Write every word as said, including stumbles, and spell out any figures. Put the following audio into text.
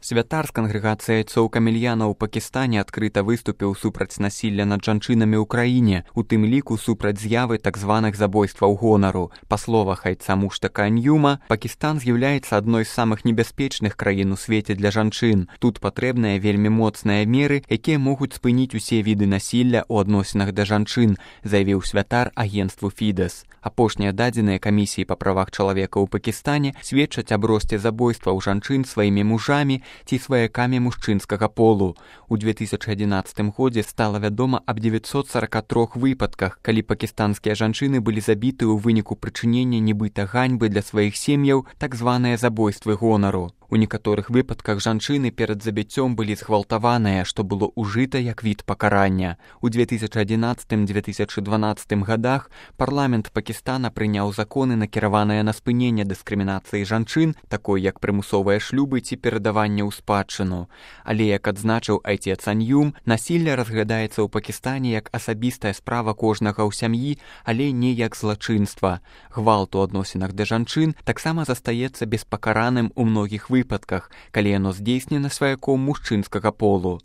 Святар з кангрэгацыяй Цоў Камельяна ў Пакістане адкрыта выступіў супраць насілля над жанчынамі ў краіне, у тым ліку супраць з'явы так званых забойстваў гонару. Па словах айца Муштака Ан'юма, Пакістан з'яўляецца адной з самых небяспечных краін у свеце для жанчын. Тут патрэбныя вельмі моцныя меры, якія могуць спыніць усе віды насілля ў адносінах да жанчын, заявіў святар агенцтву Фідэс. Апошнія дадзеныя камісіі па правах чалавека ў Пакістане сведчаць аб росце забойстваў жанчын сваімі мужамі ці сваякамі мужчынскага полу. У две тысячы адзінаццатым годзе стала вядома аб дзевяцьсот сарака трох выпадках, калі пакістанскія жанчыны былі забіты ў выніку прычынення нібыта ганьбы для сваіх сем'яў, так званыя забойствы гонару. У некаторых выпадках жанчыны перад забіццём былі згвалтаваныя, што было ўжыта як від пакарання. У две тысячы адзінаццатым - две тысячы дванаццатым гадах парламент Пакістана прыняў законы, накіраваныя на спыненне дыскрымінацыі жанчын, такой як прымусовыя шлюбы ці перадаванне ў спадчыну. Але, як адзначыў айцец Ан'юм, насілле разглядаецца ў Пакістане як асабістая справа кожнага ў сям'і, але не як злачынства. Гвалт у адносінах да жанчын таксама застаецца беспакараным у многіх выпадках, калі яно здзейснена сваяком мужчынскага полу.